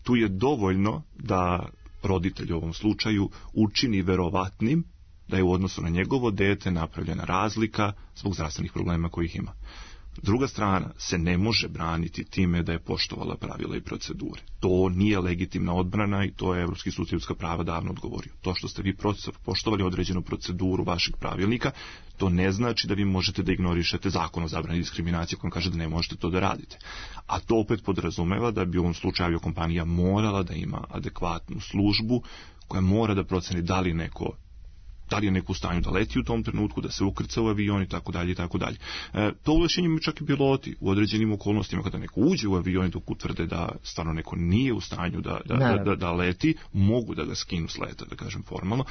Tu je dovoljno da roditelj u ovom slučaju učini verovatnim da je u odnosu na njegovo dete napravljena razlika zbog zdravstvenih problema kojih ima. Druga strana se ne može braniti time da je poštovala pravila i procedure. To nije legitimna odbrana i to je Evropski sud za ljudska prava davno odgovorio. To što ste vi poštovali određenu proceduru vašeg pravilnika, to ne znači da vi možete da ignorišete zakon o zabrani diskriminacije kojom kaže da ne možete to da radite. A to opet podrazumeva da bi u ovom slučaju aviokompanija morala da ima adekvatnu službu koja mora da proceni da li je neko u stanju da leti u tom trenutku, da se ukrca u avion i tako dalje i tako dalje. To ovlašćenje imaju čak i piloti u određenim okolnostima kada neko uđe u avion dok utvrde da stvarno neko nije u stanju da leti, mogu da ga skinu s leta, da kažem formalno.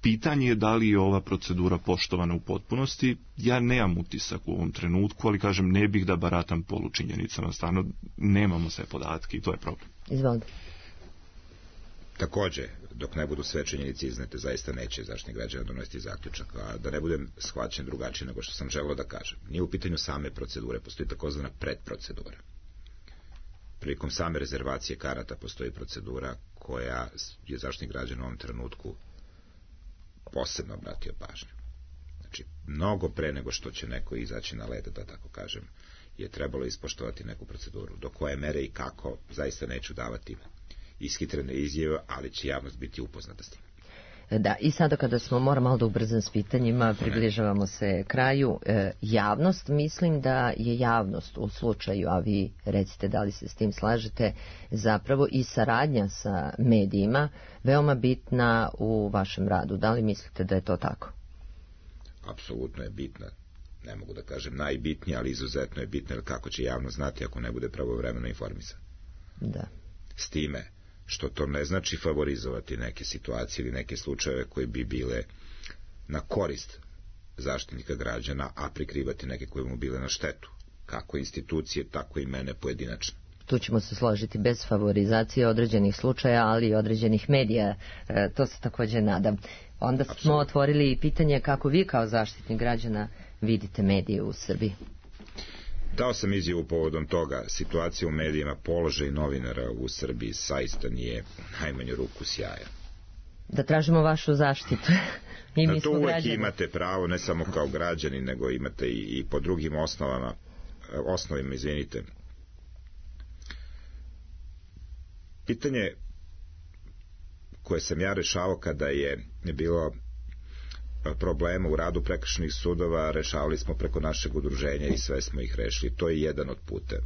Pitanje je da li je ova procedura poštovana u potpunosti. Ja nemam utisak u ovom trenutku, ali kažem ne bih da baratam polučinjenicama, stvarno nemamo sve podatke i to je problem. Izvolite. Takođe, dok ne budu sve činjenice iznete, zaista neće Zaštitnik građana donositi zaključak. A da ne budem shvaćen drugačije nego što sam želeo da kažem. Nije u pitanju same procedure, postoji takozvana predprocedura. Prilikom same rezervacije karata postoji procedura koja je Zaštitnik građana u ovom trenutku posebno obratio pažnju. Znači, mnogo pre nego što će neko izaći na led, da tako kažem, je trebalo ispoštovati neku proceduru. Do koje mere i kako, zaista neću davati ishitrene izjave, ali će javnost biti upoznata s tim. Da, i sada kada smo, moram malo da ubrzam s pitanjima, približavamo se kraju. Javnost, mislim da je javnost u slučaju, a vi recite da li se s tim slažete, zapravo i saradnja sa medijima veoma bitna u vašem radu. Da li mislite da je to tako? Apsolutno je bitna. Ne mogu da kažem najbitnija, ali izuzetno je bitna, jer kako će javnost znati ako ne bude pravovremeno informisan. Da. S time što to ne znači favorizovati neke situacije ili neke slučajeve koji bi bile na korist Zaštitnika građana, a prikrivati neke koje mu bile na štetu, kako institucije, tako i mene pojedinačno. Tu ćemo se složiti, bez favorizacije određenih slučaja, ali i određenih medija, to se također nadam. Onda smo otvorili pitanje kako vi kao Zaštitnik građana vidite medije u Srbiji. Dao sam izjavu povodom toga. Situacija u medijima, položaj novinara u Srbiji zaista nije najmanju ruku sjaja. Da tražimo vašu zaštitu. I mi to uvek građani. Imate pravo, ne samo kao građani, nego imate i po drugim osnovima, izvinite. Pitanje koje sam ja rešavao kada je bilo problema u radu prekršajnih sudova, rešavali smo preko našeg udruženja i sve smo ih rešili. To je jedan od puta.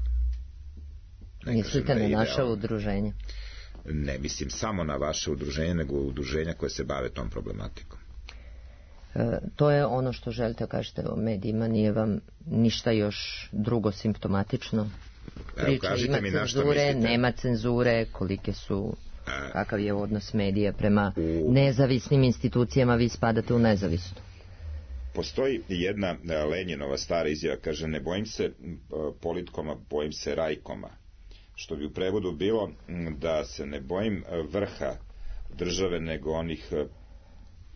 Mislite na naše udruženje? Ne mislim samo na vaše udruženje, nego udruženja koje se bave tom problematikom. To je ono što želite kažete o medijima, nije vam ništa još drugo simptomatično? Priča, ima cenzure, nema cenzure, kolike su, kakav je odnos medija prema nezavisnim institucijama, vi spadate u nezavisnu? Postoji jedna Lenjinova stara izjava, kaže, ne bojim se politkoma, bojim se rajkoma, što bi u prevodu bilo da se ne bojim vrha države, nego onih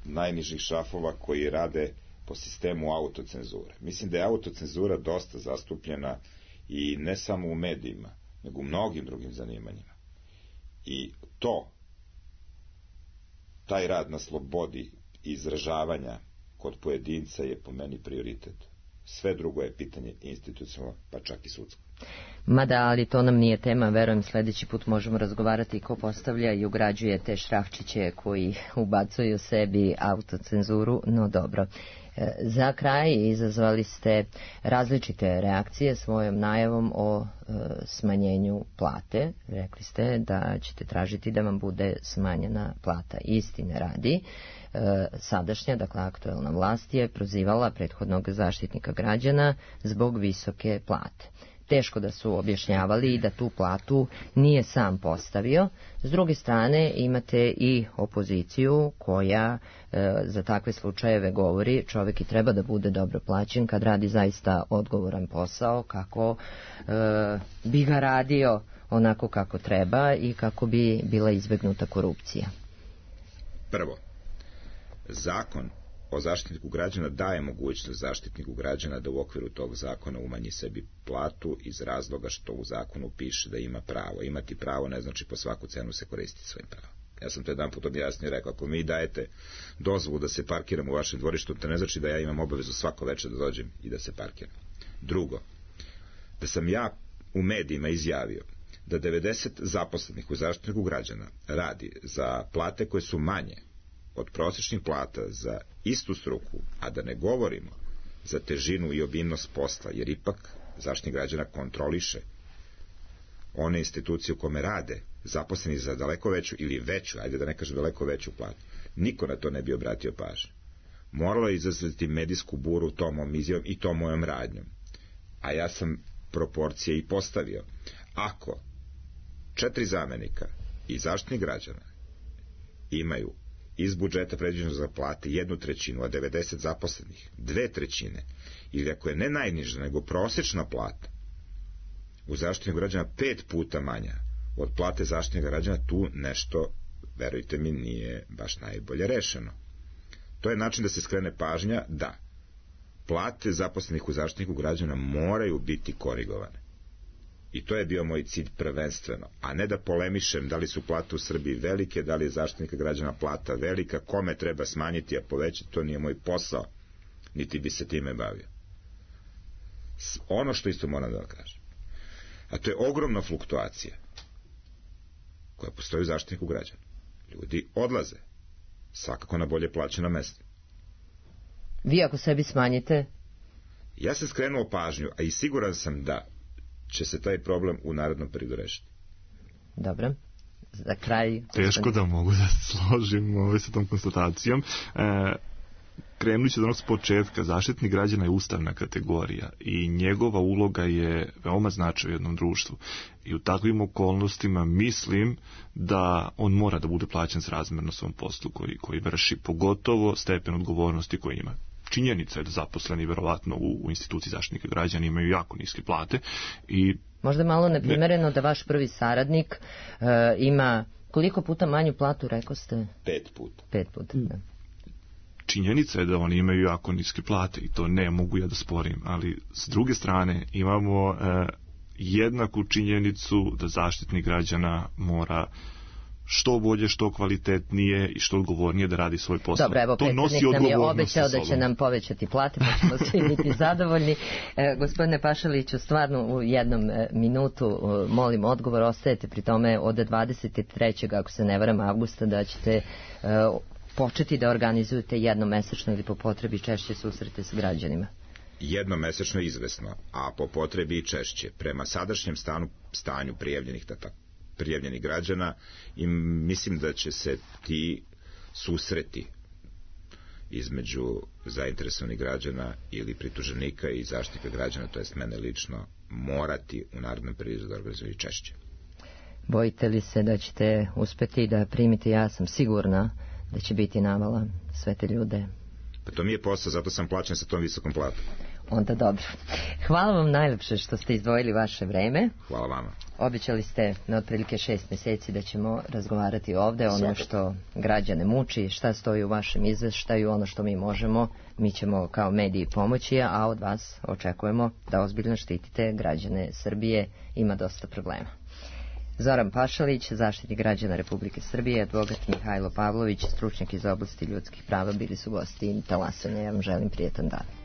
najnižih šrafova koji rade po sistemu autocenzure. Mislim da je autocenzura dosta zastupljena i ne samo u medijima, nego u mnogim drugim zanimanjima. I taj rad na slobodi izražavanja kod pojedinca je po meni prioritet. Sve drugo je pitanje institucionalno, pa čak i sudsko. Mada, ali to nam nije tema, verujem sledeći put možemo razgovarati ko postavlja i ugrađuje te šrafčiće koji ubacuju sebi autocenzuru, no dobro. Za kraj izazvali ste različite reakcije svojom najavom o smanjenju plate. Rekli ste da ćete tražiti da vam bude smanjena plata. Istine radi, sadašnja, dakle aktuelna vlast je prozivala prethodnog Zaštitnika građana zbog visoke plate. teško da su objašnjavali da tu platu nije sam postavio. S druge strane imate i opoziciju koja za takve slučajeve govori čovjek i treba da bude dobro plaćen kad radi zaista odgovoran posao, kako bi ga radio onako kako treba i kako bi bila izbegnuta korupcija. Prvo, zakon o zaštitniku građana daje mogućnost zaštitniku građana da u okviru tog zakona umanji sebi platu iz razloga što u zakonu piše da ima pravo. Imati pravo ne znači po svaku cenu se koristiti svojim pravom. Ja sam to jedan put objasnio i rekao, ako mi dajete dozvolu da se parkiram u vašem dvorištu, to ne znači da ja imam obavezu svako večer da dođem i da se parkiram. Drugo, da sam ja u medijima izjavio da 90 zaposlenih u zaštitniku građana radi za plate koje su manje od prosječnih plata za istu struku, a da ne govorimo za težinu i obimnost posla, jer ipak zaštitnik građana kontroliše one institucije u kome rade zaposleni za daleko veću ili veću, ajde da ne kažem daleko veću platu. Niko na to ne bi obratio pažnju. Moralo je izazvati medijsku buru tom mom izjavom i tom mojom radnjom. A ja sam proporcije i postavio. Ako 4 zamenika i zaštitnik građana imaju iz budžeta predviđeno za plate 1/3, a 90 zaposlenih 2/3, ili ako je ne najniža nego prosječna plata u zaštitniku građana 5 puta manja od plate zaštitnika građana, tu nešto, verujte mi, nije baš najbolje rešeno. To je način da se skrene pažnja da plate zaposlenih u zaštitniku građana moraju biti korigovane. I to je bio moj cilj prvenstveno, a ne da polemišem da li su plate u Srbiji velike, da li je zaštitnika građana plata velika, kome treba smanjiti, a povećati, to nije moj posao, niti bi se time bavio. Ono što isto moram da kažem, a to je ogromna fluktuacija koja postoji u zaštitniku građana. Ljudi odlaze, svakako na bolje plaćena mesta. Vi ako sebi smanjite? Ja sam skrenuo pažnju, a i siguran sam da će se taj problem u narednom periodu rešiti. Dobro. Za kraj... Teško da mogu da se složim sa tom konstatacijom. Krenući od onog s početka, zaštitnik građana je ustavna kategorija i njegova uloga je veoma značajna u jednom društvu. I u takvim okolnostima mislim da on mora da bude plaćen srazmerno svom poslu koji vrši, pogotovo stepen odgovornosti koji ima. Činjenica je da zaposleni verovatno u instituciji zaštitnika građana imaju jako niske plate i... Možda je malo neprimereno da vaš prvi saradnik ima koliko puta manju platu, rekao ste? 5 puta. 5 puta, da. Činjenica je da oni imaju jako niske plate i to ne mogu ja da sporim, ali s druge strane imamo jednaku činjenicu da zaštitnik građana mora što bolje, što kvalitetnije i što odgovornije da radi svoj posao. Dobro, evo, predsjednik nam je obećao da će nam povećati plate, pa ćemo svi biti zadovoljni. Gospodine Pašaliću, stvarno u jednom minutu molim odgovor, ostajete pri tome od 23. ako se ne varam avgusta da ćete početi da organizujete jednomesečno ili po potrebi češće susrete s građanima. Jednomesečno izvesno, a po potrebi i češće. Prema sadašnjem stanju prijavljenih građana i mislim da će se ti susreti između zainteresovanih građana ili prituženika i zaštitnika građana, to jest mene lično, morati u narednom periodu da organizuju češće. Bojite li se da ćete uspeti da primite? Ja sam sigurna da će biti navala sve te ljude. Pa to mi je posao, zato sam plaćen sa tom visokom platom. Onda dobro. Hvala vam najlepše što ste izdvojili vaše vreme. Hvala vama. Obećali ste na otprilike 6 meseci da ćemo razgovarati ovde ono što građane muči, šta stoji u vašem izveštaju, ono što mi možemo, mi ćemo kao mediji pomoći, a od vas očekujemo da ozbiljno štitite građane Srbije, ima dosta problema. Zoran Pašalić, zaštitnik građana Republike Srbije, advokat Mihajlo Pavlović, stručnjak iz oblasti ljudskih prava, bili su gosti Talasanja. Ja vam želim prijetan dan.